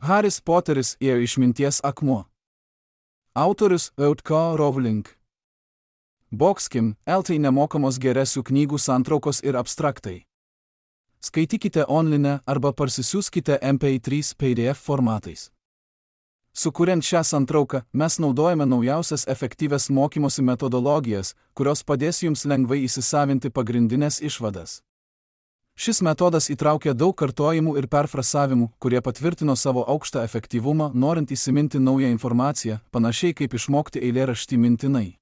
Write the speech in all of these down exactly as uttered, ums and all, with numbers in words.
Haris Poteris ir išminties akmuo. Autorius J K Rowling. Boxkim, L T nemokamos geresių knygų santraukos ir abstraktai. Skaitykite online arba parsisiųskite M P trys P D F formatais. Sukuriant šią santrauką, mes naudojame naujausias efektyvias mokymosi metodologijas, kurios padės jums lengvai įsisavinti pagrindinės išvadas. Šis metodas įtraukia daug kartojimų ir perfrasavimų, kurie patvirtino savo aukštą efektyvumą, norint įsiminti naują informaciją, panašiai kaip išmokti eilėraštį mintinai.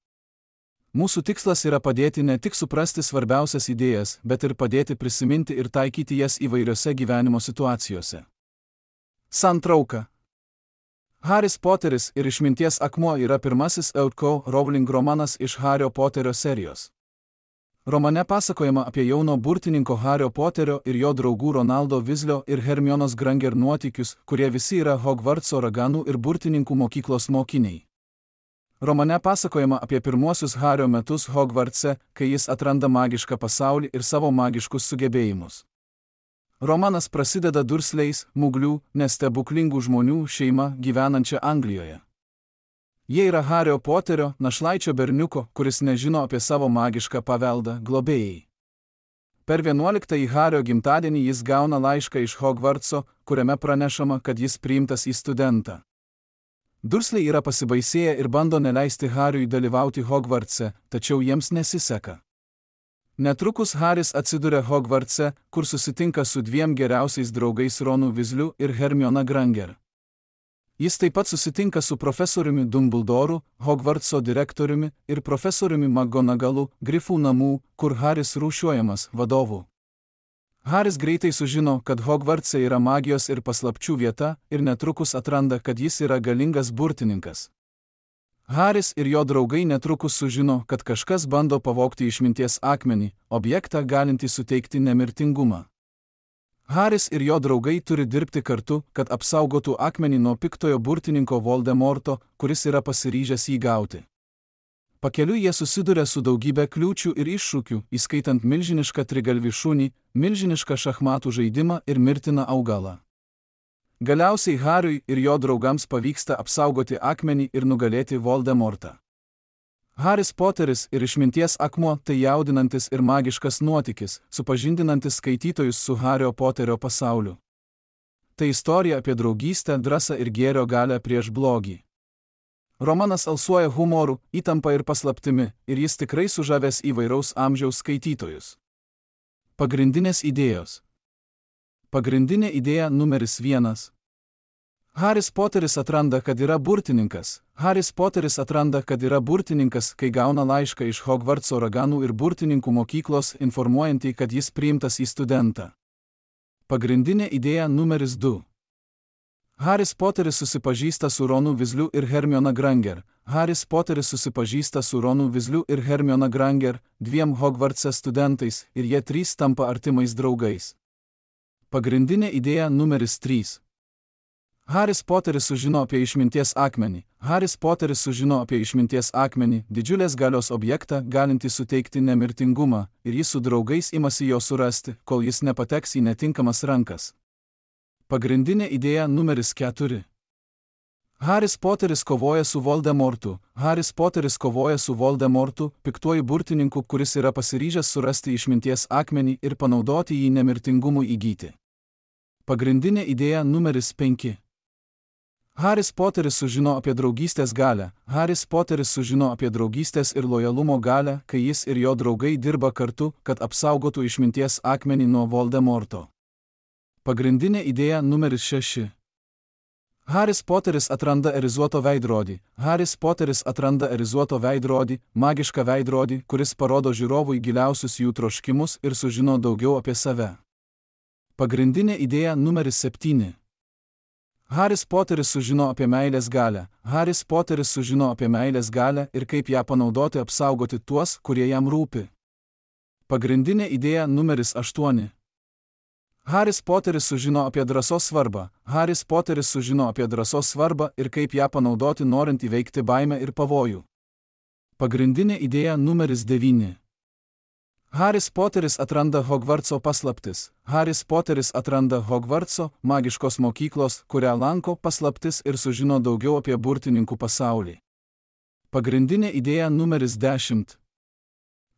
Mūsų tikslas yra padėti ne tik suprasti svarbiausias idėjas, bet ir padėti prisiminti ir taikyti jas įvairiose gyvenimo situacijose. Santrauka. Haris Poteris ir išminties akmuo yra pirmasis J K Rowling romanas iš Hario Poterio serijos. Romane pasakojama apie jauno burtininko Hario Poterio ir jo draugų Ronaldo Weaslio ir Hermionos Granger nuotykius, kurie visi yra Hogwartso raganų ir burtininkų mokyklos mokiniai. Romane pasakojama apie pirmuosius Hario metus Hogwartse, kai jis atranda magišką pasaulį ir savo magiškus sugebėjimus. Romanas prasideda Dursleys, Muglių, nestebuklingų žmonių šeima gyvenančia Anglijoje. Jie yra Hario Poterio, našlaičio berniuko, kuris nežino apie savo magišką paveldą, globėjai. Per vienuoliktąjį Hario gimtadienį jis gauna laišką iš Hogwartso, kuriame pranešama, kad jis priimtas į studentą. Dursley yra pasibaisėję ir bando neleisti Hariui dalyvauti Hogwartse, tačiau jiems nesiseka. Netrukus Haris atsiduria Hogwartse, kur susitinka su dviem geriausiais draugais Ronu Weasliu ir Hermiona Granger. Jis taip pat susitinka su profesoriumi Dumbledoru, Hogwartso direktoriumi ir profesoriumi McGonagallu, Grifų namų, kur Haris rūšiuojamas, vadovu. Haris greitai sužino, kad Hogwartse yra magijos ir paslapčių vieta ir netrukus atranda, kad jis yra galingas burtininkas. Haris ir jo draugai netrukus sužino, kad kažkas bando pavogti išminties akmenį, objektą galintį suteikti nemirtingumą. Haris ir jo draugai turi dirbti kartu, kad apsaugotų akmenį nuo piktojo burtininko Voldemorto, kuris yra pasiryžęs jį gauti. Pakeliui jie susiduria su daugybė kliūčių ir iššūkių, įskaitant milžinišką trigalvį šunį, milžinišką šachmatų žaidimą ir mirtiną augalą. Galiausiai Hariui ir jo draugams pavyksta apsaugoti akmenį ir nugalėti Voldemortą. Haris Poteris ir išminties akmuo tai jaudinantis ir magiškas nuotykis, supažindinantis skaitytojus su Hario Poterio pasauliu. Tai istorija apie draugystę, drąsą ir gėrio galią prieš blogį. Romanas alsuoja humoru, įtampa ir paslaptimi, ir jis tikrai sužavės įvairaus amžiaus skaitytojus. Pagrindinės idėjos. Pagrindinė idėja numeris vienas. Haris Poteris atranda, kad yra burtininkas. Haris Poteris atranda, kad yra burtininkas, kai gauna laišką iš Hogwartso raganų ir burtininkų mokyklos, informuojantį, kad jis priimtas į studentą. Pagrindinė idėja numeris du. Haris Poteris susipažįsta su Ronu Weasliu ir Hermiona Granger. Haris Poteris susipažįsta su Ronu Weasliu ir Hermiona Granger, dviem Hogwartse studentais, ir jie trys tampa artimais draugais. Pagrindinė idėja numeris trys. Haris Poteris sužino apie išminties akmenį. Haris Poteris sužino apie išminties akmenį, didžiulės galios objektą, galintį suteikti nemirtingumą, ir jis su draugais imasi jo surasti, kol jis nepateks į netinkamas rankas. Pagrindinė idėja numeris keturi. Haris Poteris kovoja su Voldemortu. Haris Poteris kovoja su Voldemortu, piktuoju burtininku, kuris yra pasiryžęs surasti išminties akmenį ir panaudoti jį nemirtingumui įgyti. Pagrindinė idėja numeris penki. Haris Poteris sužino apie draugystės galią. Haris Poteris sužino apie draugystės ir lojalumo galią, kai jis ir jo draugai dirba kartu, kad apsaugotų išminties akmenį nuo Voldemorto. Pagrindinė idėja numeris šeši. Haris Poteris atranda erizuoto veidrodį. Haris Poteris atranda erizuoto veidrodį, magišką veidrodį, kuris parodo žiūrovui giliausius jų troškimus ir sužino daugiau apie save. Pagrindinė idėja numeris septyni. Haris Poteris sužino apie meilės galią. Haris Poteris sužino apie meilės galią ir kaip ją panaudoti apsaugoti tuos, kurie jam rūpi. Pagrindinė idėja numeris aštuoni. Haris Poteris sužino apie drąsos svarbą. Haris Poteris sužino apie drąsos svarbą ir kaip ją panaudoti norint įveikti baimę ir pavojų. Pagrindinė idėja numeris devyni. Haris Poteris atranda Hogvartso paslaptis. Haris Poteris atranda Hogvartso, magiškos mokyklos, kurią lanko, paslaptis ir sužino daugiau apie burtininkų pasaulį. Pagrindinė idėja numeris dešimt.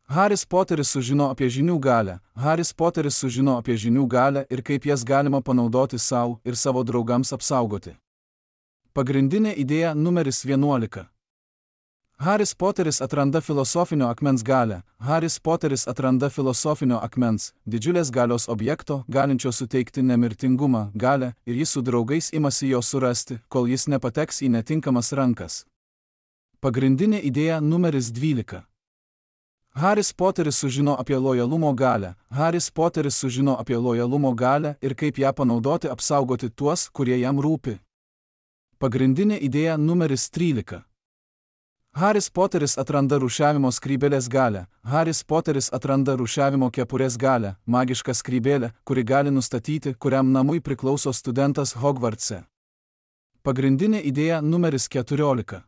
Haris Poteris sužino apie žinių galią. Haris Poteris sužino apie žinių galią ir kaip jas galima panaudoti savo ir savo draugams apsaugoti. Pagrindinė idėja numeris vienuolika. Haris Poteris atranda filosofinio akmens galią. Haris Poteris atranda filosofinio akmens, didžiulės galios objekto, galinčio suteikti nemirtingumą, galią, ir jis su draugais imasi jo surasti, kol jis nepateks į netinkamas rankas. Pagrindinė idėja numeris dvylika. Haris Poteris sužino apie lojalumo galią. Haris Poteris sužino apie lojalumo galią ir kaip ją panaudoti apsaugoti tuos, kurie jam rūpi. Pagrindinė idėja numeris trylika. Haris Poteris atranda rūšiavimo skrybėlės galią. Haris Poteris atranda rūšiavimo kepurės galią, magišką skrybėlę, kuri gali nustatyti, kuriam namui priklauso studentas Hogvartse. Pagrindinė idėja numeris keturiolika.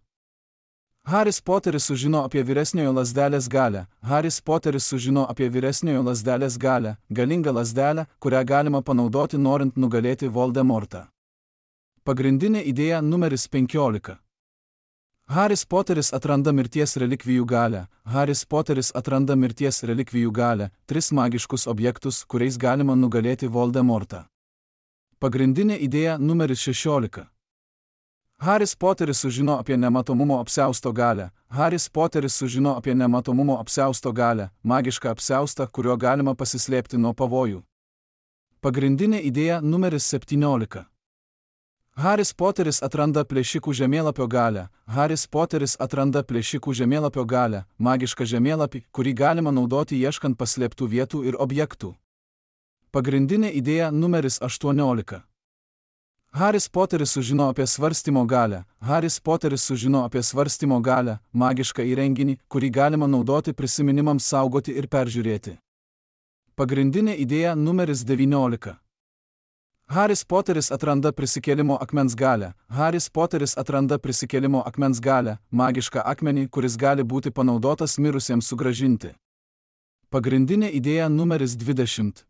Haris Poteris sužino apie vyresniojo lazdelės galią. Haris Poteris sužino apie vyresniojo lazdelės galią, galingą lazdelę, kurią galima panaudoti norint nugalėti Voldemortą. Pagrindinė idėja numeris penkiolika. Haris Poteris atranda mirties relikvijų galią. Haris Poteris atranda mirties relikvijų galią, tris magiškus objektus, kuriais galima nugalėti Voldemortą. Pagrindinė idėja numeris šešiolika. Haris Poteris sužino apie nematomumo apsiausto galią. Haris Poteris sužino apie nematomumo apsiausto galią, magišką apsiaustą, kuriuo galima pasislėpti nuo pavojų. Pagrindinė idėja numeris septyniolika. Haris Poteris atranda plėšikų žemėlapio galią. Haris Poteris atranda plėšikų žemėlapio galią, magišką žemėlapį, kurį galima naudoti ieškant paslėptų vietų ir objektų. Pagrindinė idėja numeris aštuoniolika. Haris Poteris sužino apie svarstymo galią. Haris Poteris sužino apie svarstymo galią, magišką įrenginį, kurį galima naudoti prisiminimams saugoti ir peržiūrėti. Pagrindinė idėja numeris devyniolika. Haris Poteris atranda prisikėlimo akmens galią. Haris Poteris atranda prisikėlimo akmens galią, magišką akmenį, kuris gali būti panaudotas mirusiems sugrąžinti. Pagrindinė idėja numeris dvidešimt.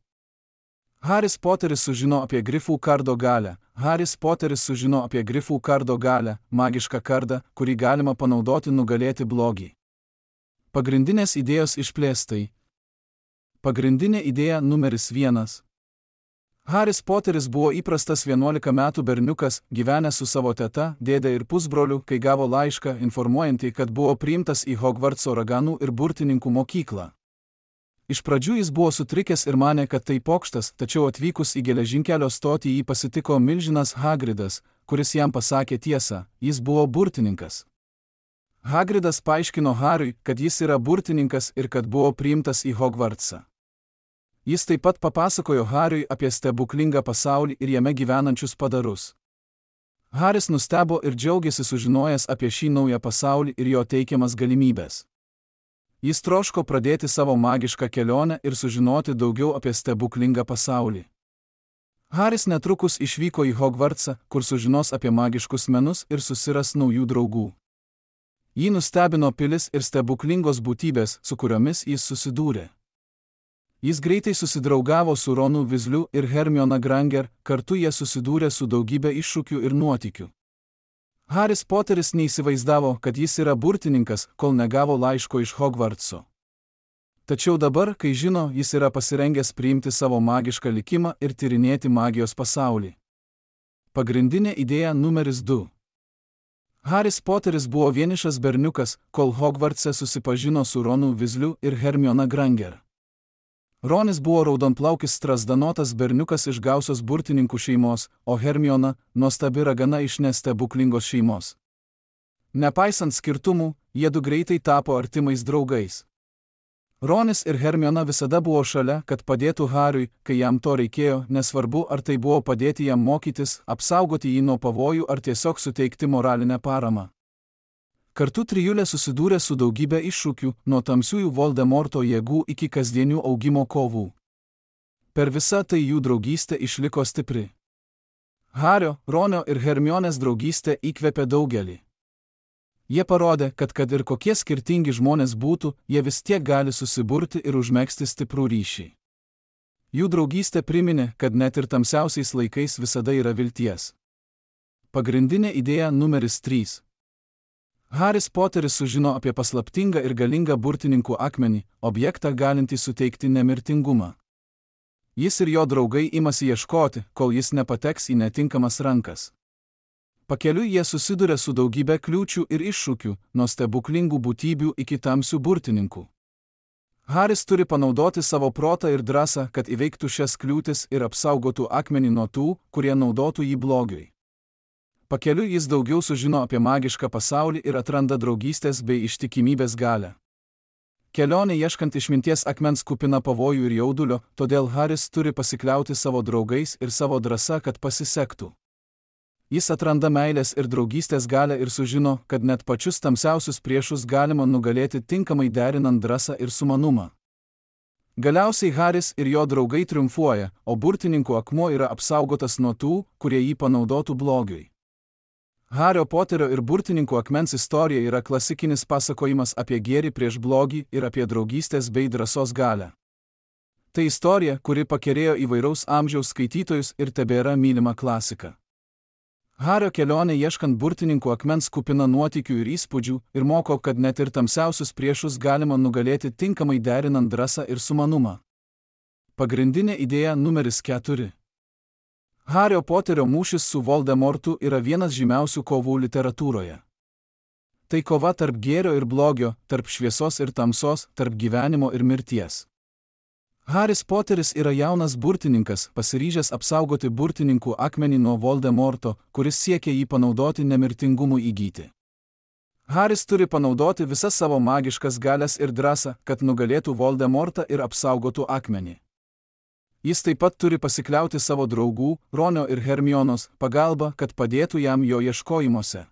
Haris Poteris sužino apie grifų kardo galią. Haris Poteris sužino apie grifų kardo galią, magišką kardą, kurį galima panaudoti nugalėti blogį. Pagrindinės idėjos išplėstai. Pagrindinė idėja numeris vienas. Haris Poteris buvo įprastas vienuolika metų berniukas, gyvenęs su savo teta, dėde ir pusbroliu, kai gavo laišką informuojantį, kad buvo priimtas į Hogvartso raganų ir burtininkų mokyklą. Iš pradžių jis buvo sutrikęs ir manė, kad tai pokštas, tačiau atvykus į geležinkelio stotį jį pasitiko milžinas Hagridas, kuris jam pasakė tiesą, jis buvo burtininkas. Hagridas paaiškino Hariui, kad jis yra burtininkas ir kad buvo priimtas į Hogvartsą. Jis taip pat papasakojo Hariui apie stebuklingą pasaulį ir jame gyvenančius padarus. Haris nustebo ir džiaugiasi sužinojęs apie šį naują pasaulį ir jo teikiamas galimybės. Jis troško pradėti savo magišką kelionę ir sužinoti daugiau apie stebuklingą pasaulį. Haris netrukus išvyko į Hogvartsą, kur sužinos apie magiškus menus ir susiras naujų draugų. Jį nustebino pilis ir stebuklingos būtybės, su kuriomis jis susidūrė. Jis greitai susidraugavo su Ronu Weasleyu ir Hermiona Granger, kartu jie susidūrė su daugybė iššūkių ir nuotykių. Haris Poteris neįsivaizdavo, kad jis yra burtininkas, kol negavo laiško iš Hogvartso. Tačiau dabar, kai žino, jis yra pasirengęs priimti savo magišką likimą ir tyrinėti magijos pasaulį. Pagrindinė idėja numeris du. Haris Poteris buvo vienišas berniukas, kol Hogvartse susipažino su Ronu Weasleyu ir Hermiona Granger. Ronis buvo raudonplaukis strazdanotas berniukas iš gausios burtininkų šeimos, o Hermiona – nuostabi ragana iš nestebuklingos šeimos. Nepaisant skirtumų, jiedu greitai tapo artimais draugais. Ronis ir Hermiona visada buvo šalia, kad padėtų Hariui, kai jam to reikėjo, nesvarbu ar tai buvo padėti jam mokytis, apsaugoti jį nuo pavojų ar tiesiog suteikti moralinę paramą. Kartu trijulė susidūrė su daugybė iššūkių, nuo tamsiųjų Voldemorto jėgų iki kasdienių augimo kovų. Per visą tai jų draugystė išliko stipri. Hario, Ronio ir Hermionės draugystė įkvėpė daugelį. Jie parodė, kad kad ir kokie skirtingi žmonės būtų, jie vis tiek gali susiburti ir užmegzti stiprų ryšį. Jų draugystė priminė, kad net ir tamsiausiais laikais visada yra vilties. Pagrindinė idėja numeris trys. Haris Poteris sužino apie paslaptingą ir galingą burtininkų akmenį, objektą galintį suteikti nemirtingumą. Jis ir jo draugai imasi ieškoti, kol jis nepateks į netinkamas rankas. Pakeliui jie susiduria su daugybė kliūčių ir iššūkių, nuo stebuklingų būtybių iki tamsių burtininkų. Haris turi panaudoti savo protą ir drąsą, kad įveiktų šias kliūtis ir apsaugotų akmenį nuo tų, kurie naudotų jį blogiui. Pakeliui jis daugiau sužino apie magišką pasaulį ir atranda draugystės bei ištikimybės galią. Kelionė ieškant išminties akmens kupina pavojų ir jaudulio, todėl Haris turi pasikliauti savo draugais ir savo drąsa, kad pasisektų. Jis atranda meilės ir draugystės galią ir sužino, kad net pačius tamsiausius priešus galima nugalėti tinkamai derinant drąsą ir sumanumą. Galiausiai Haris ir jo draugai triumfuoja, o burtininkų akmuo yra apsaugotas nuo tų, kurie jį panaudotų blogiui. Hario Poterio ir burtininkų akmens istorija yra klasikinis pasakojimas apie gėrį prieš blogį ir apie draugystės bei drąsos galią. Tai istorija, kuri pakerėjo įvairaus amžiaus skaitytojus ir tebėra mylima klasika. Hario kelionė ieškant burtininkų akmens kupina nuotykių ir įspūdžių ir moko, kad net ir tamsiausius priešus galima nugalėti tinkamai derinant drąsą ir sumanumą. Pagrindinė idėja numeris keturi. Hario Poterio mūšis su Voldemortu yra vienas žymiausių kovų literatūroje. Tai kova tarp gėrio ir blogio, tarp šviesos ir tamsos, tarp gyvenimo ir mirties. Haris Poteris yra jaunas burtininkas, pasiryžęs apsaugoti burtininkų akmenį nuo Voldemorto, kuris siekia jį panaudoti nemirtingumui įgyti. Haris turi panaudoti visas savo magiškas galias ir drąsą, kad nugalėtų Voldemortą ir apsaugotų akmenį. Jis taip pat turi pasikliauti savo draugų, Ronio ir Hermionos, pagalba, kad padėtų jam jo ieškojimuose.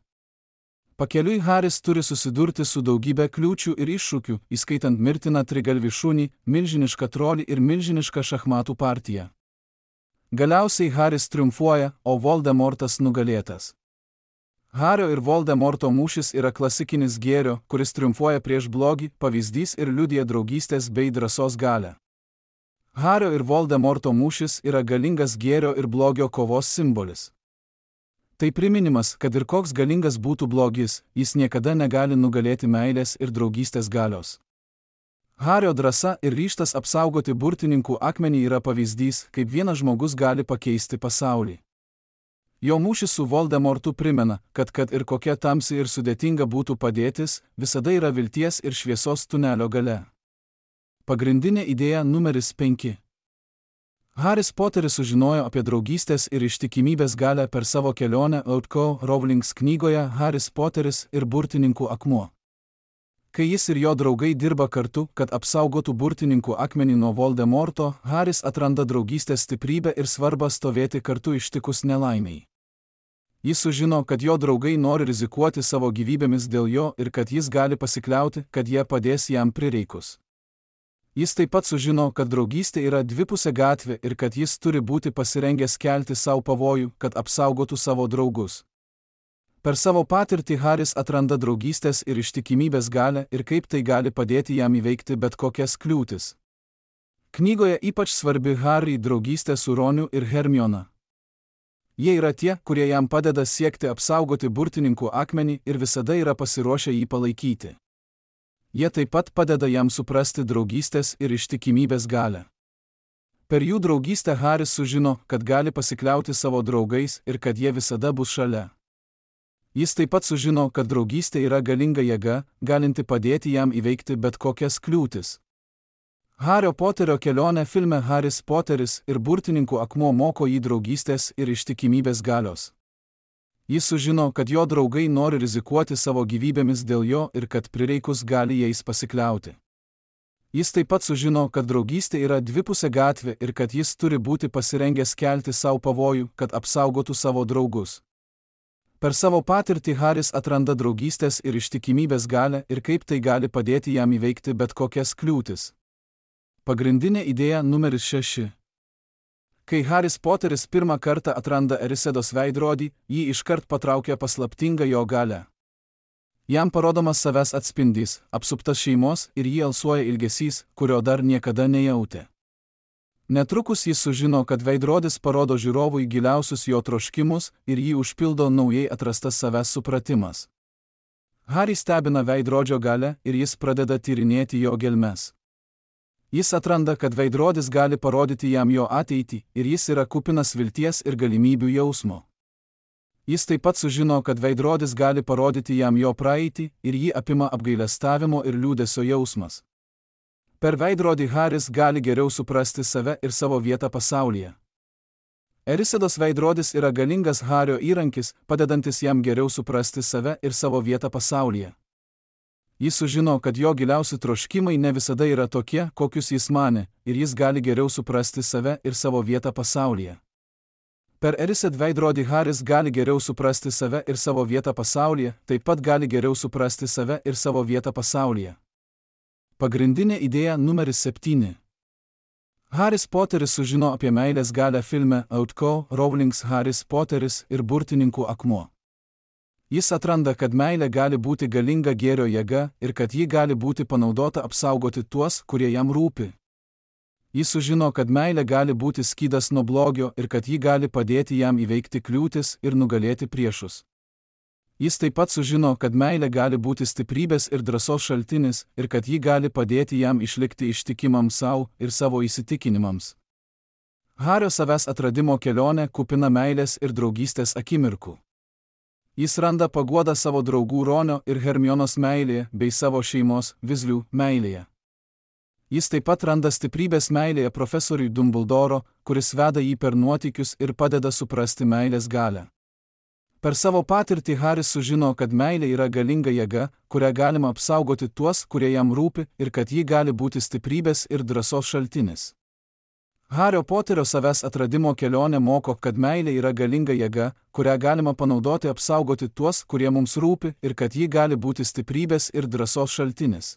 Pakeliui Haris turi susidurti su daugybė kliūčių ir iššūkių, įskaitant mirtiną trigalvį šunį, milžinišką trolį ir milžinišką šachmatų partiją. Galiausiai Haris triumfuoja, o Voldemortas nugalėtas. Hario ir Voldemorto mūšis yra klasikinis gėrio, kuris triumfuoja prieš blogį, pavyzdys ir liudija draugystės bei drąsos galią. Hario ir Voldemorto mūšis yra galingas gėrio ir blogio kovos simbolis. Tai priminimas, kad ir koks galingas būtų blogis, jis niekada negali nugalėti meilės ir draugystės galios. Hario drąsa ir ryžtas apsaugoti burtininkų akmenį yra pavyzdys, kaip vienas žmogus gali pakeisti pasaulį. Jo mūšis su Voldemortu primena, kad kad ir kokia tamsi ir sudėtinga būtų padėtis, visada yra vilties ir šviesos tunelio gale. Pagrindinė idėja numeris penki. Haris Poteris sužinojo apie draugystės ir ištikimybės galią per savo kelionę J K Rowling knygoje Haris Poteris ir burtininkų akmuo. Kai jis ir jo draugai dirba kartu, kad apsaugotų burtininkų akmenį nuo Voldemorto, Haris atranda draugystės stiprybę ir svarbą stovėti kartu ištikus nelaimiai. Jis sužino, kad jo draugai nori rizikuoti savo gyvybėmis dėl jo ir kad jis gali pasikliauti, kad jie padės jam prireikus. Jis taip pat sužino, kad draugystė yra dvipusė gatvė ir kad jis turi būti pasirengęs kelti savo pavojų, kad apsaugotų savo draugus. Per savo patirtį Haris atranda draugystės ir ištikimybės galią ir kaip tai gali padėti jam įveikti bet kokias kliūtis. Knygoje ypač svarbi Harry draugystė su Roniu ir Hermiona. Jie yra tie, kurie jam padeda siekti apsaugoti burtininkų akmenį ir visada yra pasiruošę jį palaikyti. Jie taip pat padeda jam suprasti draugystės ir ištikimybės galią. Per jų draugystę Haris sužino, kad gali pasikliauti savo draugais ir kad jie visada bus šalia. Jis taip pat sužino, kad draugystė yra galinga jėga, galinti padėti jam įveikti bet kokias kliūtis. Hario Poterio kelionė filme Haris Poteris ir burtininkų akmuo moko jį draugystės ir ištikimybės galios. Jis sužino, kad jo draugai nori rizikuoti savo gyvybėmis dėl jo ir kad prireikus gali jais pasikliauti. Jis taip pat sužino, kad draugystė yra dvipusė gatvė ir kad jis turi būti pasirengęs kelti savo pavojų, kad apsaugotų savo draugus. Per savo patirtį Haris atranda draugystės ir ištikimybės galią ir kaip tai gali padėti jam įveikti bet kokias kliūtis. Pagrindinė idėja numeris šeši. Kai Haris Poteris pirmą kartą atranda Erisedos veidrodį, jį iškart patraukia paslaptinga jo galia. Jam parodomas savęs atspindys, apsuptas šeimos ir jį alsuoja ilgesys, kurio dar niekada nejautė. Netrukus jis sužino, kad veidrodis parodo žiūrovui giliausius jo troškimus ir jį užpildo naujai atrastas savęs supratimas. Harį stebina veidrodžio galia ir jis pradeda tyrinėti jo gelmes. Jis atranda, kad veidrodis gali parodyti jam jo ateitį ir jis yra kupinas vilties ir galimybių jausmo. Jis taip pat sužino, kad veidrodis gali parodyti jam jo praeitį ir jį apima apgailestavimo ir liūdesio jausmas. Per veidrodį Haris gali geriau suprasti save ir savo vietą pasaulyje. Erisedos veidrodis yra galingas Hario įrankis, padedantis jam geriau suprasti save ir savo vietą pasaulyje. Jis sužino, kad jo giliausi troškimai ne visada yra tokie, kokius jis manė, ir jis gali geriau suprasti save ir savo vietą pasaulyje. Per Erised veidrodį Haris gali geriau suprasti save ir savo vietą pasaulyje, taip pat gali geriau suprasti save ir savo vietą pasaulyje. Pagrindinė idėja numeris septyni. Haris Poteris sužino apie meilės galią filme J K Rowling's Haris Poteris ir burtininkų akmuo. Jis atranda, kad meilė gali būti galinga gėrio jėga ir kad ji gali būti panaudota apsaugoti tuos, kurie jam rūpi. Jis sužino, kad meilė gali būti skydas nuo blogio ir kad ji gali padėti jam įveikti kliūtis ir nugalėti priešus. Jis taip pat sužino, kad meilė gali būti stiprybės ir drąsos šaltinis ir kad ji gali padėti jam išlikti ištikimam savo ir savo įsitikinimams. Hario savęs atradimo kelionė kupina meilės ir draugystės akimirkų. Jis randa paguodą savo draugų Ronio ir Hermionos meilėje bei savo šeimos Weasleyų meilėje. Jis taip pat randa stiprybės meilėje profesoriui Dumbledoro, kuris veda jį per nuotykius ir padeda suprasti meilės galią. Per savo patirtį Haris sužino, kad meilė yra galinga jėga, kurią galima apsaugoti tuos, kurie jam rūpi, ir kad ji gali būti stiprybės ir drąsos šaltinis. Hario Poterio savęs atradimo kelionė moko, kad meilė yra galinga jėga, kurią galima panaudoti apsaugoti tuos, kurie mums rūpi, ir kad ji gali būti stiprybės ir drąsos šaltinis.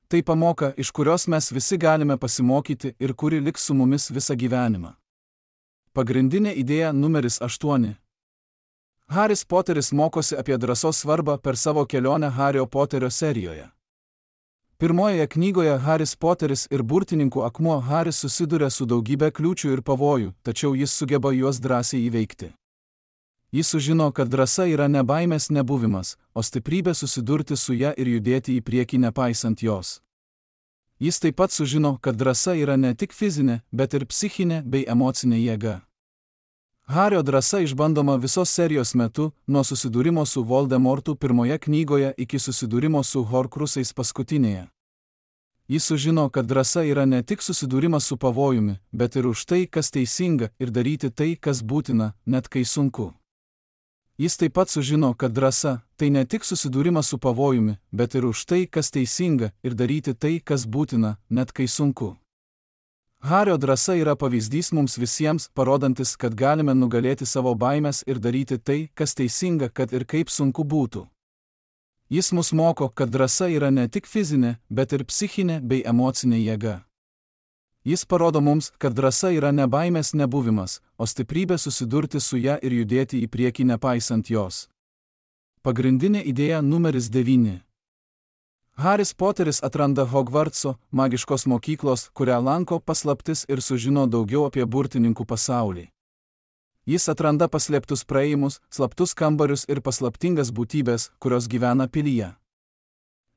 Tai pamoka, iš kurios mes visi galime pasimokyti ir kuri liks su mumis visą gyvenimą. Pagrindinė idėja numeris aštuoni. Haris Poteris mokosi apie drąsos svarbą per savo kelionę Hario Poterio serijoje. Pirmojoje knygoje Haris Poteris ir burtininkų akmuo Haris susiduria su daugybė kliūčių ir pavojų, tačiau jis sugeba juos drąsiai įveikti. Jis sužino, kad drąsa yra ne baimės nebuvimas, o stiprybė susidurti su ja ir judėti į priekį nepaisant jos. Jis taip pat sužino, kad drąsa yra ne tik fizinė, bet ir psichinė bei emocinė jėga. Hario drąsa išbandoma visos serijos metu, nuo susidūrimo su Voldemortu pirmoje knygoje iki susidūrimo su Horcrusais paskutinėje. Jis sužino, kad drąsa yra ne tik susidūrimas su pavojumi, bet ir už tai, kas teisinga, ir daryti tai, kas būtina, net kai sunku. Jis taip pat sužino, kad drąsa – tai ne tik susidūrimas su pavojumi, bet ir už tai, kas teisinga, ir daryti tai, kas būtina, net kai sunku. Hario drąsa yra pavyzdys mums visiems, parodantis, kad galime nugalėti savo baimės ir daryti tai, kas teisinga, kad ir kaip sunku būtų. Jis mus moko, kad drąsa yra ne tik fizinė, bet ir psichinė bei emocinė jėga. Jis parodo mums, kad drąsa yra ne baimės nebuvimas, o stiprybė susidurti su ja ir judėti į priekį nepaisant jos. Pagrindinė idėja numeris devyni. Haris Poteris atranda Hogwartso, magiškos mokyklos, kurią lanko paslaptis ir sužino daugiau apie burtininkų pasaulį. Jis atranda paslėptus praėjimus, slaptus kambarius ir paslaptingas būtybės, kurios gyvena pilyje.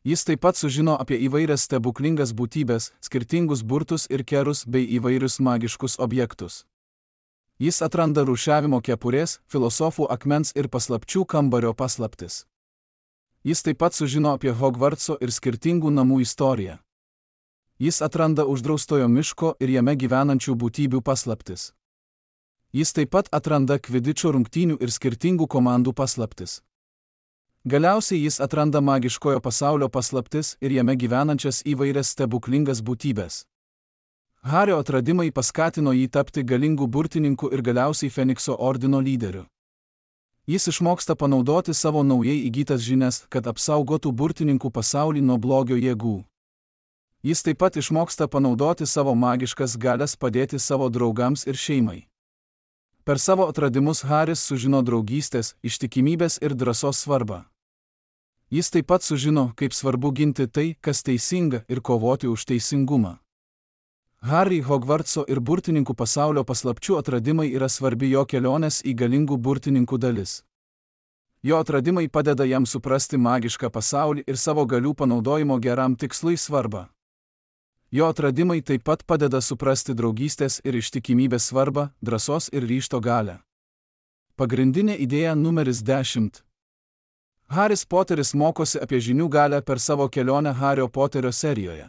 Jis taip pat sužino apie įvairias stebuklingas būtybės, skirtingus burtus ir kerus bei įvairius magiškus objektus. Jis atranda rūšiavimo kepurės, filosofų akmens ir paslapčių kambario paslaptis. Jis taip pat sužino apie Hogwartso ir skirtingų namų istoriją. Jis atranda uždraustojo miško ir jame gyvenančių būtybių paslaptis. Jis taip pat atranda kvidičo rungtynių ir skirtingų komandų paslaptis. Galiausiai jis atranda magiškojo pasaulio paslaptis ir jame gyvenančias įvairias stebuklingas būtybės. Hario atradimai paskatino jį tapti galingų burtininkų ir galiausiai Fenikso ordino lyderiu. Jis išmoksta panaudoti savo naujai įgytas žinias, kad apsaugotų burtininkų pasaulį nuo blogio jėgų. Jis taip pat išmoksta panaudoti savo magiškas galias padėti savo draugams ir šeimai. Per savo atradimus Haris sužino draugystės, ištikimybės ir drąsos svarbą. Jis taip pat sužino, kaip svarbu ginti tai, kas teisinga, ir kovoti už teisingumą. Harry Hogwartso ir burtininkų pasaulio paslapčių atradimai yra svarbi jo kelionės į galingų burtininkų dalis. Jo atradimai padeda jam suprasti magišką pasaulį ir savo galių panaudojimo geram tikslui svarbą. Jo atradimai taip pat padeda suprasti draugystės ir ištikimybės svarbą, drąsos ir ryžto galią. Pagrindinė idėja numeris dešimt. Haris Poteris mokosi apie žinių galią per savo kelionę Hario Poterio serijoje.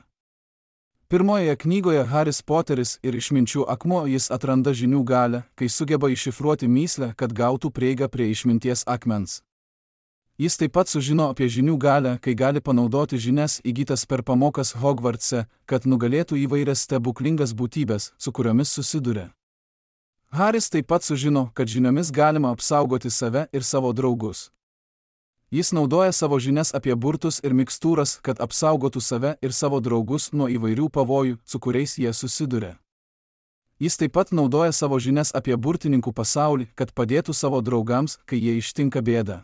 Pirmojoje knygoje Haris Poteris ir išminčių akmuo jis atranda žinių galią, kai sugeba iššifruoti mįslę, kad gautų prieigą prie išminties akmens. Jis taip pat sužino apie žinių galią, kai gali panaudoti žinias įgytas per pamokas Hogwartse, kad nugalėtų įvairias stebuklingas būtybės, su kuriomis susiduria. Haris taip pat sužino, kad žiniomis galima apsaugoti save ir savo draugus. Jis naudoja savo žinias apie burtus ir mikstūras, kad apsaugotų save ir savo draugus nuo įvairių pavojų, su kuriais jie susiduria. Jis taip pat naudoja savo žinias apie burtininkų pasaulį, kad padėtų savo draugams, kai jie ištinka bėdą.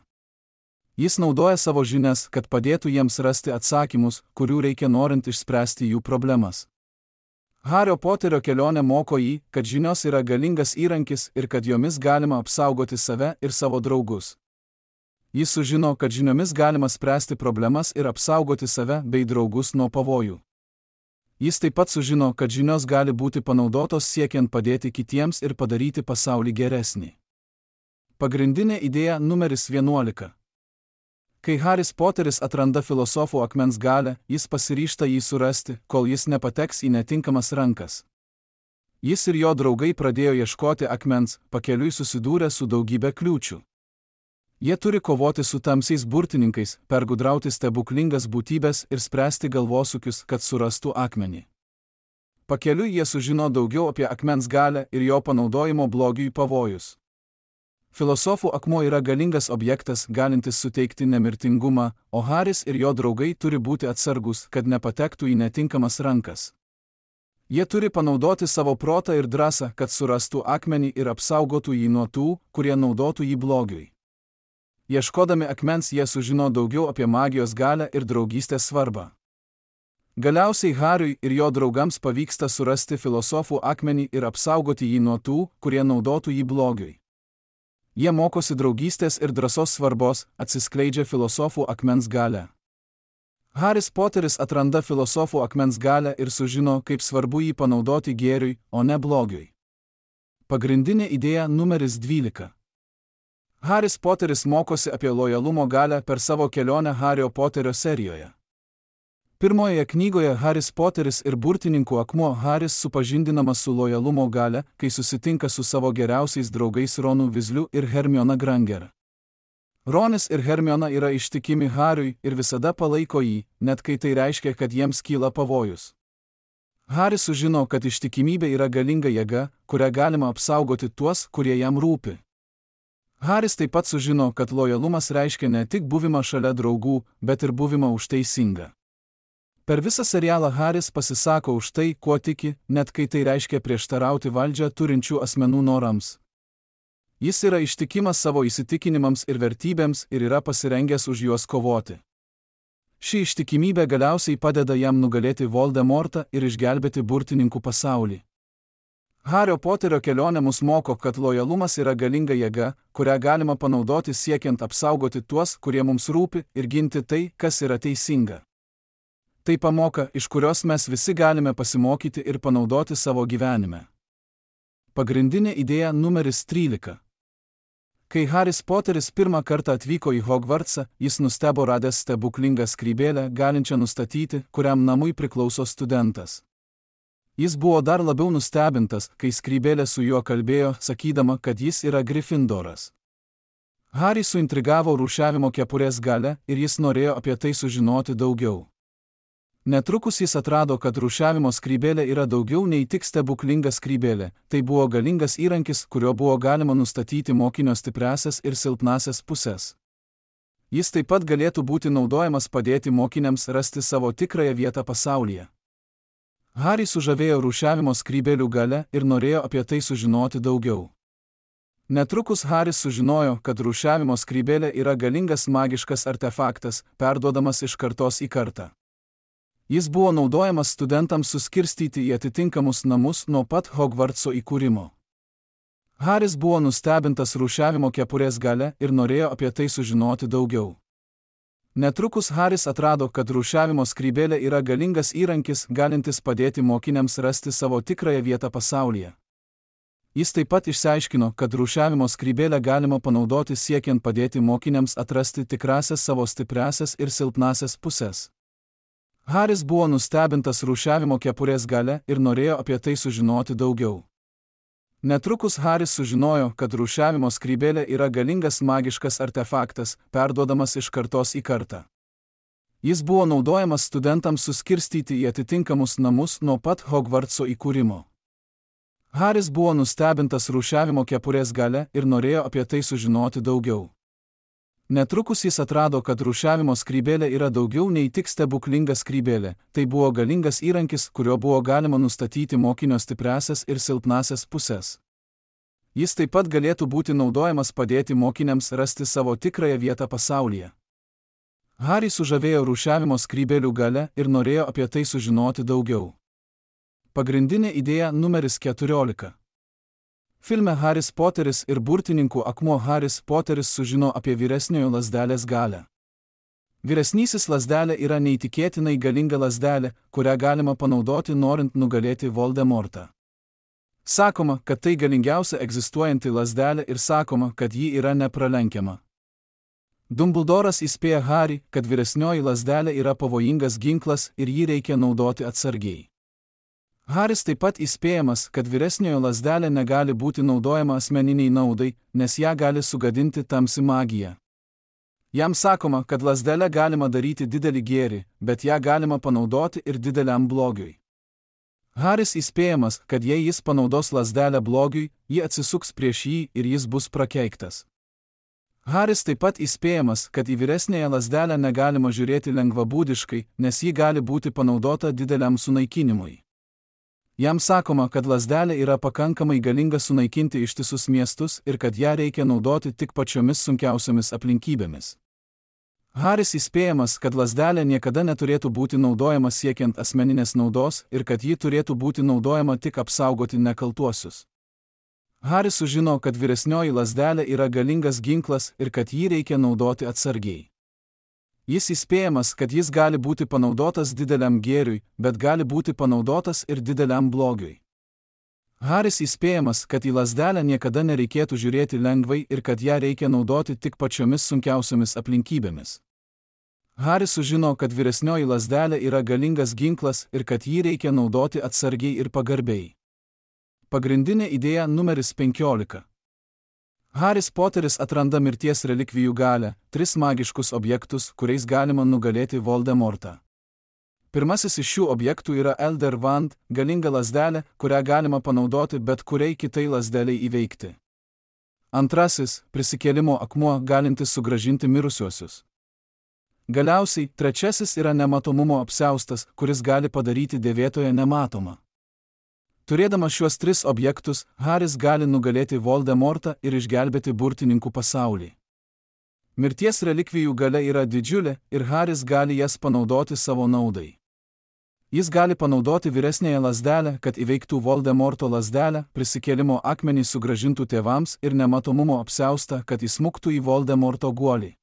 Jis naudoja savo žinias, kad padėtų jiems rasti atsakymus, kurių reikia norint išspręsti jų problemas. Hario Poterio kelionė moko jį, kad žinios yra galingas įrankis ir kad jomis galima apsaugoti save ir savo draugus. Jis sužino, kad žiniomis galima spręsti problemas ir apsaugoti save bei draugus nuo pavojų. Jis taip pat sužino, kad žinios gali būti panaudotos siekiant padėti kitiems ir padaryti pasaulį geresnį. Pagrindinė idėja numeris vienuolika. Kai Haris Poteris atranda filosofų akmens galią, jis pasiryžta jį surasti, kol jis nepateks į netinkamas rankas. Jis ir jo draugai pradėjo ieškoti akmens, pakeliui susidūrę su daugybė kliūčių. Jie turi kovoti su tamsiais burtininkais, pergudrauti stebuklingas būtybės ir spręsti galvosūkius, kad surastų akmenį. Pakeliui jie sužino daugiau apie akmens galią ir jo panaudojimo blogiui pavojus. Filosofų akmuo yra galingas objektas, galintis suteikti nemirtingumą, o Haris ir jo draugai turi būti atsargus, kad nepatektų į netinkamas rankas. Jie turi panaudoti savo protą ir drąsą, kad surastų akmenį ir apsaugotų jį nuo tų, kurie naudotų jį blogiui. Ieškodami akmens jie sužino daugiau apie magijos galią ir draugystės svarbą. Galiausiai Hariui ir jo draugams pavyksta surasti filosofų akmenį ir apsaugoti jį nuo tų, kurie naudotų jį blogiui. Jie mokosi draugystės ir drąsos svarbos, atsiskleidžia filosofų akmens galią. Haris Poteris atranda filosofų akmens galią ir sužino, kaip svarbu jį panaudoti gėriui, o ne blogiui. Pagrindinė idėja numeris dvylika. Haris Poteris mokosi apie lojalumo galią per savo kelionę Hario Poterio serijoje. Pirmojoje knygoje Haris Poteris ir burtininkų akmuo Haris supažindinamas su lojalumo galia, kai susitinka su savo geriausiais draugais Ronu Weasleyu ir Hermiona Granger. Ronis ir Hermiona yra ištikimi Hariui ir visada palaiko jį, net kai tai reiškia, kad jiems kyla pavojus. Haris sužino, kad ištikimybė yra galinga jėga, kurią galima apsaugoti tuos, kurie jam rūpi. Haris taip pat sužino, kad lojalumas reiškia ne tik buvimą šalia draugų, bet ir buvimą už teisingą. Per visą serialą Haris pasisako už tai, kuo tiki, net kai tai reiškia prieštarauti valdžią turinčių asmenų norams. Jis yra ištikimas savo įsitikinimams ir vertybėms ir yra pasirengęs už juos kovoti. Ši ištikimybė galiausiai padeda jam nugalėti Voldemortą ir išgelbėti burtininkų pasaulį. Hario Poterio kelionė mus moko, kad lojalumas yra galinga jėga, kurią galima panaudoti siekiant apsaugoti tuos, kurie mums rūpi, ir ginti tai, kas yra teisinga. Tai pamoka, iš kurios mes visi galime pasimokyti ir panaudoti savo gyvenime. Pagrindinė idėja numeris trylika. Kai Haris Poteris pirmą kartą atvyko į Hogwartsą, jis nustebo radęs stebuklingą skrybėlę, galinčią nustatyti, kuriam namui priklauso studentas. Jis buvo dar labiau nustebintas, kai skrybėlė su juo kalbėjo, sakydama, kad jis yra Gryffindoras. Harį suintrigavo rūšiavimo kepurės galia ir jis norėjo apie tai sužinoti daugiau. Netrukus jis atrado, kad rūšiavimo skrybėlė yra daugiau nei tik stebuklinga skrybėlė, tai buvo galingas įrankis, kurio buvo galima nustatyti mokinio stipriasias ir silpnasias pusės. Jis taip pat galėtų būti naudojamas padėti mokiniams rasti savo tikrąją vietą pasaulyje. Harį sužavėjo rūšiavimo skrybėlių galia ir norėjo apie tai sužinoti daugiau. Netrukus Haris sužinojo, kad rūšiavimo skrybėlė yra galingas magiškas artefaktas, perduodamas iš kartos į kartą. Jis buvo naudojamas studentams suskirstyti į atitinkamus namus nuo pat Hogvartso įkūrimo. Haris buvo nustebintas rūšiavimo kepurės galia ir norėjo apie tai sužinoti daugiau. Netrukus Haris atrado, kad rūšiavimo skrybėlė yra galingas įrankis, galintis padėti mokiniams rasti savo tikrąją vietą pasaulyje. Jis taip pat išsiaiškino, kad rūšiavimo skrybėlę galima panaudoti siekiant padėti mokiniams atrasti tikrąsias savo stipriąsias ir silpnąsias pusės. Haris buvo nustebintas rūšiavimo kepurės galia ir norėjo apie tai sužinoti daugiau. Netrukus Haris sužinojo, kad rūšiavimo skrybėlė yra galingas magiškas artefaktas, perduodamas iš kartos į kartą. Jis buvo naudojamas studentams suskirstyti į atitinkamus namus nuo pat Hogvartso įkūrimo. Haris buvo nustebintas rūšiavimo kepurės galia ir norėjo apie tai sužinoti daugiau. Netrukus jis atrado, kad rūšiavimo skrybėlė yra daugiau nei tik stebuklinga skrybėlė, tai buvo galingas įrankis, kuriuo buvo galima nustatyti mokinio stipriąsias ir silpnąsias pusės. Jis taip pat galėtų būti naudojamas padėti mokiniams rasti savo tikrąją vietą pasaulyje. Harį sužavėjo rūšiavimo skrybėlių galia ir norėjo apie tai sužinoti daugiau. Pagrindinė idėja numeris keturiolika. Filme Haris Poteris ir burtininkų akmuo Haris Poteris sužino apie vyresniojo lazdelės galią. Vyresnysis lazdelė yra neįtikėtinai galinga lazdelė, kurią galima panaudoti norint nugalėti Voldemortą. Sakoma, kad tai galingiausia egzistuojanti lazdelė ir sakoma, kad ji yra nepralenkiama. Dumbledoras įspėja Harį, kad vyresnioji lazdelė yra pavojingas ginklas ir jį reikia naudoti atsargiai. Haris taip pat įspėjamas, kad vyresniojo lazdelė negali būti naudojama asmeniniai naudai, nes ją gali sugadinti tamsi magija. Jam sakoma, kad lazdelę galima daryti didelį gėrį, bet ją galima panaudoti ir dideliam blogiui. Haris įspėjamas, kad jei jis panaudos lazdelę blogiui, ji atsisuks prieš jį ir jis bus prakeiktas. Haris taip pat įspėjamas, kad į vyresnėją lazdelę negalima žiūrėti lengvabūdiškai, nes ji gali būti panaudota dideliam sunaikinimui. Jam sakoma, kad lazdelė yra pakankamai galinga sunaikinti ištisus miestus ir kad ją reikia naudoti tik pačiomis sunkiausiomis aplinkybėmis. Haris įspėjamas, kad lazdelė niekada neturėtų būti naudojama siekiant asmeninės naudos ir kad ji turėtų būti naudojama tik apsaugoti nekaltuosius. Haris sužino, kad vyresnioji lazdelė yra galingas ginklas ir kad jį reikia naudoti atsargiai. Jis įspėjamas, kad jis gali būti panaudotas dideliam gėriui, bet gali būti panaudotas ir dideliam blogiui. Haris įspėjamas, kad į lazdelę niekada nereikėtų žiūrėti lengvai ir kad ją reikia naudoti tik pačiomis sunkiausiomis aplinkybėmis. Haris sužino, kad vyresnioji lazdelė yra galingas ginklas ir kad jį reikia naudoti atsargiai ir pagarbiai. Pagrindinė idėja numeris penkiolika. Haris Poteris atranda mirties relikvijų galią, tris magiškus objektus, kuriais galima nugalėti Voldemortą. Pirmasis iš šių objektų yra Elder Wand, galinga lazdelė, kurią galima panaudoti bet kuriai kitai lazdeliai įveikti. Antrasis – prisikėlimo akmuo, galintis sugrąžinti mirusiuosius. Galiausiai, trečiasis yra nematomumo apsiaustas, kuris gali padaryti dėvėtoją nematomą. Turėdamas šiuos tris objektus, Haris gali nugalėti Voldemortą ir išgelbėti burtininkų pasaulį. Mirties relikvijų galia yra didžiulė ir Haris gali jas panaudoti savo naudai. Jis gali panaudoti vyresnėją lazdelę, kad įveiktų Voldemorto lazdelę, prisikėlimo akmenį sugrąžintų tėvams ir nematomumo apsiaustą, kad įsmuktų į Voldemorto guolį.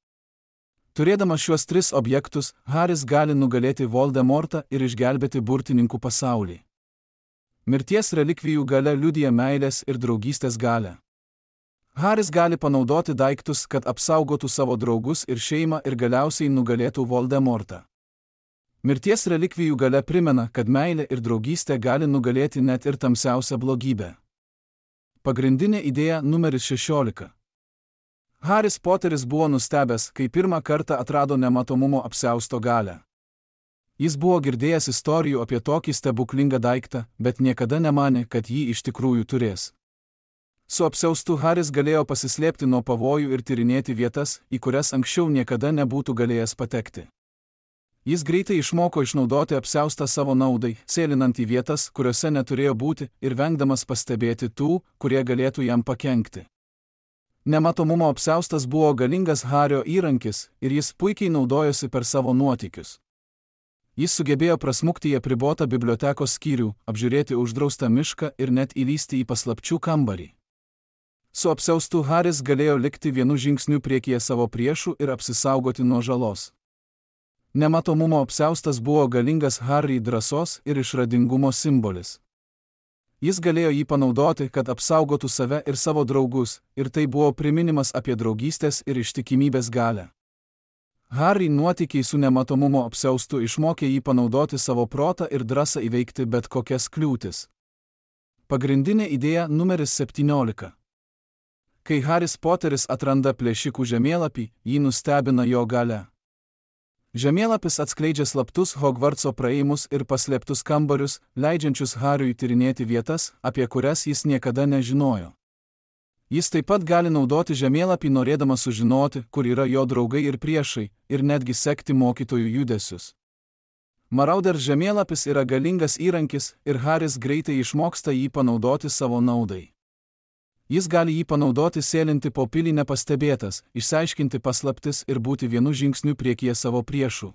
Turėdamas šiuos tris objektus, Haris gali nugalėti Voldemortą ir išgelbėti burtininkų pasaulį. Mirties relikvijų galia liudija meilės ir draugystės galią. Haris gali panaudoti daiktus, kad apsaugotų savo draugus ir šeimą ir galiausiai nugalėtų Voldemortą. Mirties relikvijų galia primena, kad meilė ir draugystė gali nugalėti net ir tamsiausią blogybę. Pagrindinė idėja numeris šešiolika. Haris Poteris buvo nustebęs, kai pirmą kartą atrado nematomumo apsiausto galią. Jis buvo girdėjęs istorijų apie tokį stebuklingą daiktą, bet niekada nemanė, kad jį iš tikrųjų turės. Su apsiaustu Haris galėjo pasislėpti nuo pavojų ir tyrinėti vietas, į kurias anksčiau niekada nebūtų galėjęs patekti. Jis greitai išmoko išnaudoti apsiaustą savo naudai, sėlinant į vietas, kuriuose neturėjo būti ir vengdamas pastebėti tų, kurie galėtų jam pakenkti. Nematomumo apsiaustas buvo galingas Hario įrankis ir jis puikiai naudojosi per savo nuotykius. Jis sugebėjo prasmukti į apribotą bibliotekos skyrių, apžiūrėti uždraustą mišką ir net įlysti į paslapčių kambarį. Su apsiaustu Haris galėjo likti vienu žingsniu priekyje savo priešų ir apsisaugoti nuo žalos. Nematomumo apsiaustas buvo galingas Harry drąsos ir išradingumo simbolis. Jis galėjo jį panaudoti, kad apsaugotų save ir savo draugus, ir tai buvo priminimas apie draugystės ir ištikimybės galią. Harry nuotykiai su nematomumo apsiaustu išmokė jį panaudoti savo protą ir drąsą įveikti bet kokias kliūtis. Pagrindinė idėja numeris septyniolika. Kai Haris Poteris atranda plėšikų žemėlapį, jį nustebina jo galia. Žemėlapis atskleidžia slaptus Hogvartso praėjimus ir paslėptus kambarius, leidžiančius Hariui tyrinėti vietas, apie kurias jis niekada nežinojo. Jis taip pat gali naudoti žemėlapį norėdamas sužinoti, kur yra jo draugai ir priešai, ir netgi sekti mokytojų judesius. Marauders žemėlapis yra galingas įrankis ir Haris greitai išmoksta jį panaudoti savo naudai. Jis gali jį panaudoti sėlinti po pilį nepastebėtas, išsiaiškinti paslaptis ir būti vienu žingsniu priekyje savo priešų.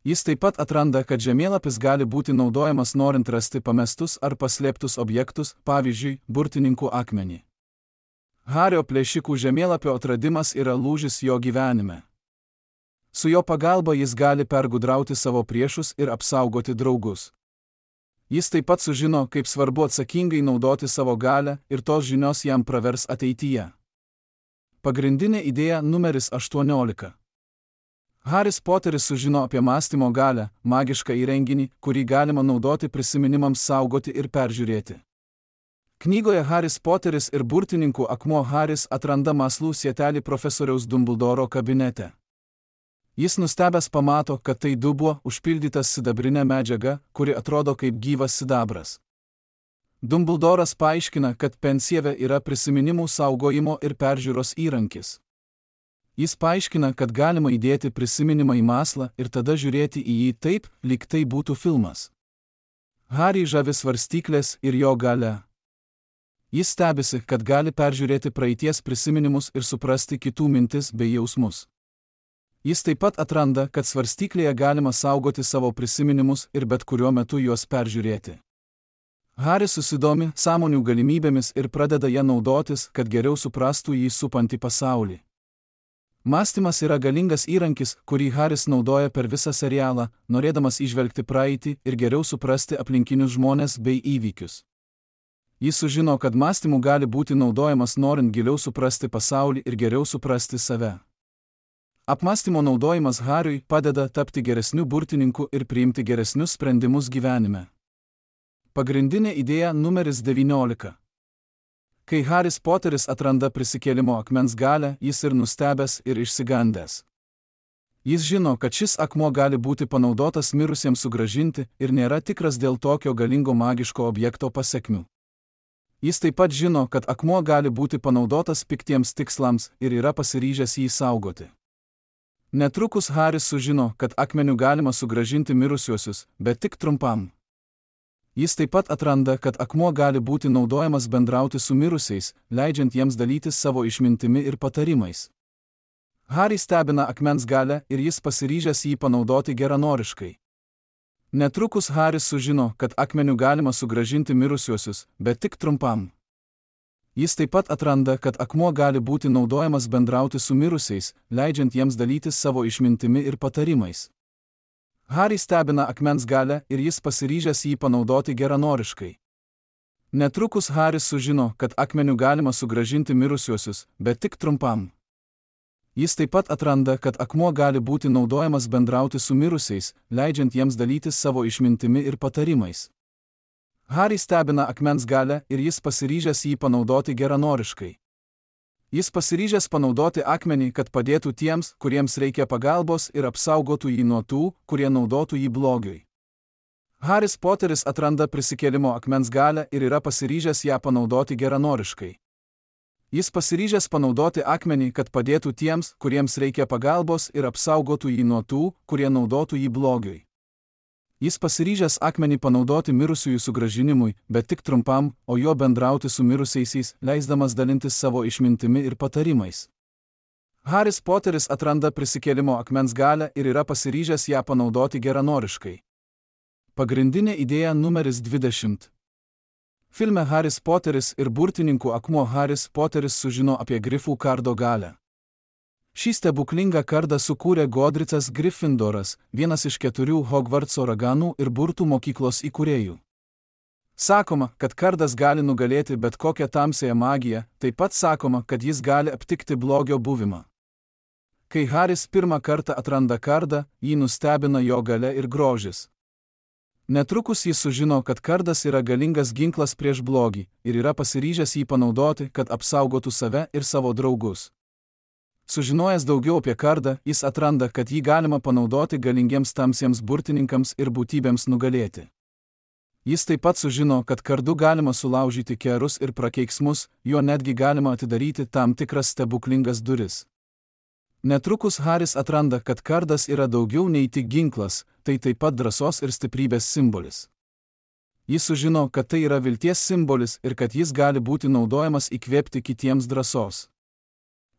Jis taip pat atranda, kad žemėlapis gali būti naudojamas norint rasti pamestus ar paslėptus objektus, pavyzdžiui, burtininkų akmenį. Hario plėšikų žemėlapio atradimas yra lūžis jo gyvenime. Su jo pagalba jis gali pergudrauti savo priešus ir apsaugoti draugus. Jis taip pat sužino, kaip svarbu atsakingai naudoti savo galią ir tos žinios jam pravers ateityje. Pagrindinė idėja numeris aštuoniolika. Haris Poteris sužino apie mąstymo galią, magišką įrenginį, kurį galima naudoti prisiminimams saugoti ir peržiūrėti. Knygoje Haris Poteris ir burtininkų akmuo Haris atranda mąslų sietelį profesoriaus Dumbledoro kabinete. Jis nustebęs pamato, kad tai dubuo užpildytas sidabrinė medžiaga, kuri atrodo kaip gyvas sidabras. Dumbledoras paaiškina, kad pensieve yra prisiminimų saugojimo ir peržiūros įrankis. Jis paaiškina, kad galima įdėti prisiminimą į maslą ir tada žiūrėti į jį taip, lyg tai būtų filmas. Harį žavi svarstyklės ir jo galia. Jis stebisi, kad gali peržiūrėti praeities prisiminimus ir suprasti kitų mintis bei jausmus. Jis taip pat atranda, kad svarstyklėje galima saugoti savo prisiminimus ir bet kuriuo metu juos peržiūrėti. Haris susidomi sąmonių galimybėmis ir pradeda ją naudotis, kad geriau suprastų jį supantį pasaulį. Mąstymas yra galingas įrankis, kurį Haris naudoja per visą serialą, norėdamas įžvelgti praeitį ir geriau suprasti aplinkinius žmones bei įvykius. Jis sužino, kad mąstymu gali būti naudojamas norint giliau suprasti pasaulį ir geriau suprasti save. Apmąstymo naudojimas Hariui padeda tapti geresniu burtininku ir priimti geresnius sprendimus gyvenime. Pagrindinė idėja numeris devyniolika. Kai Haris Poteris atranda prisikėlimo akmens galią, jis ir nustebęs ir išsigandęs. Jis žino, kad šis akmuo gali būti panaudotas mirusiems sugrąžinti ir nėra tikras dėl tokio galingo magiško objekto pasekmių. Jis taip pat žino, kad akmuo gali būti panaudotas piktiems tikslams ir yra pasiryžęs jį saugoti. Netrukus Haris sužino, kad akmeniu galima sugrąžinti mirusiuosius, bet tik trumpam. Jis taip pat atranda, kad akmuo gali būti naudojamas bendrauti su mirusiais, leidžiant jiems dalytis savo išmintimi ir patarimais. Harį stebina akmens galia ir jis pasiryžęs jį panaudoti geranoriškai. Netrukus Haris sužino, kad akmeniu galima sugrąžinti mirusiuosius, bet tik trumpam. Jis taip pat atranda, kad akmuo gali būti naudojamas bendrauti su mirusiais, leidžiant jiems dalytis savo išmintimi ir patarimais. Harį stebina akmens galia ir jis pasiryžęs jį panaudoti geranoriškai. Netrukus Haris sužino, kad akmeniu galima sugrąžinti mirusiuosius, bet tik trumpam. Jis taip pat atranda, kad akmuo gali būti naudojamas bendrauti su mirusiais, leidžiant jiems dalytis savo išmintimi ir patarimais. Harį stebina akmens galia ir jis pasiryžęs jį panaudoti geranoriškai. Jis pasiryžęs panaudoti akmenį, kad padėtų tiems, kuriems reikia pagalbos ir apsaugotų jį nuo tų, kurie naudotų jį blogiui. Haris Poteris atranda prisikėlimo akmens galią ir yra pasiryžęs ją panaudoti geranoriškai. Jis pasiryžęs panaudoti akmenį, kad padėtų tiems, kuriems reikia pagalbos ir apsaugotų jį nuo tų, kurie naudotų jį blogiui. Jis pasiryžęs akmenį panaudoti mirusiųjų sugrąžinimui, bet tik trumpam, o jo bendrauti su mirusiaisiais, leisdamas dalintis savo išmintimi ir patarimais. Haris Poteris atranda prisikėlimo akmens galią ir yra pasiryžęs ją panaudoti geranoriškai. Pagrindinė idėja numeris dvidešimt. Filme Haris Poteris ir burtininkų akmuo Haris Poteris sužino apie grifų kardo galią. Šį stebuklingą kardą sukūrė Godricas Gryffindoras, vienas iš keturių Hogvartso raganų ir burtų mokyklos įkūrėjų. Sakoma, kad kardas gali nugalėti bet kokią tamsiąją magiją, taip pat sakoma, kad jis gali aptikti blogio buvimą. Kai Haris pirmą kartą atranda kardą, jį nustebina jo galia ir grožis. Netrukus jis sužino, kad kardas yra galingas ginklas prieš blogį ir yra pasiryžęs jį panaudoti, kad apsaugotų save ir savo draugus. Sužinojęs daugiau apie kardą, jis atranda, kad jį galima panaudoti galingiems tamsiems burtininkams ir būtybėms nugalėti. Jis taip pat sužino, kad kardu galima sulaužyti kerus ir prakeiksmus, juo netgi galima atidaryti tam tikras stebuklingas duris. Netrukus Haris atranda, kad kardas yra daugiau nei tik ginklas, tai taip pat drąsos ir stiprybės simbolis. Jis sužino, kad tai yra vilties simbolis ir kad jis gali būti naudojamas įkvėpti kitiems drąsos.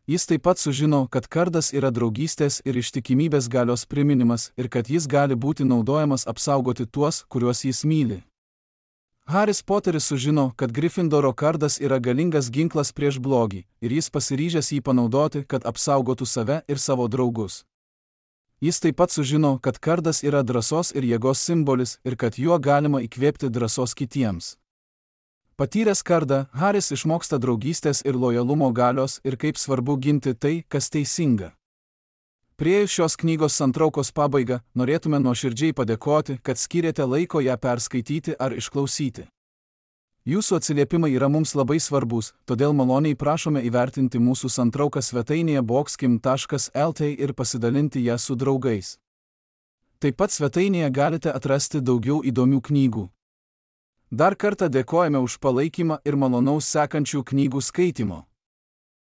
Jis taip pat sužino, kad kardas yra draugystės ir ištikimybės galios priminimas ir kad jis gali būti naudojamas apsaugoti tuos, kuriuos jis myli. Haris Poteris sužino, kad Gryffindoro kardas yra galingas ginklas prieš blogį ir jis pasiryžęs jį panaudoti, kad apsaugotų save ir savo draugus. Jis taip pat sužino, kad kardas yra drąsos ir jėgos simbolis ir kad juo galima įkvėpti drąsos kitiems. Patyręs kardą, Haris išmoksta draugystės ir lojalumo galios ir kaip svarbu ginti tai, kas teisinga. Priėjus šios knygos santraukos pabaigą, norėtume nuoširdžiai padėkoti, kad skyrėte laiko ją perskaityti ar išklausyti. Jūsų atsiliepimai yra mums labai svarbus, todėl maloniai prašome įvertinti mūsų santrauką svetainėje boxkim taškas lt ir pasidalinti ją su draugais. Taip pat svetainėje galite atrasti daugiau įdomių knygų. Dar kartą dėkojame už palaikymą ir malonaus sekančių knygų skaitimo.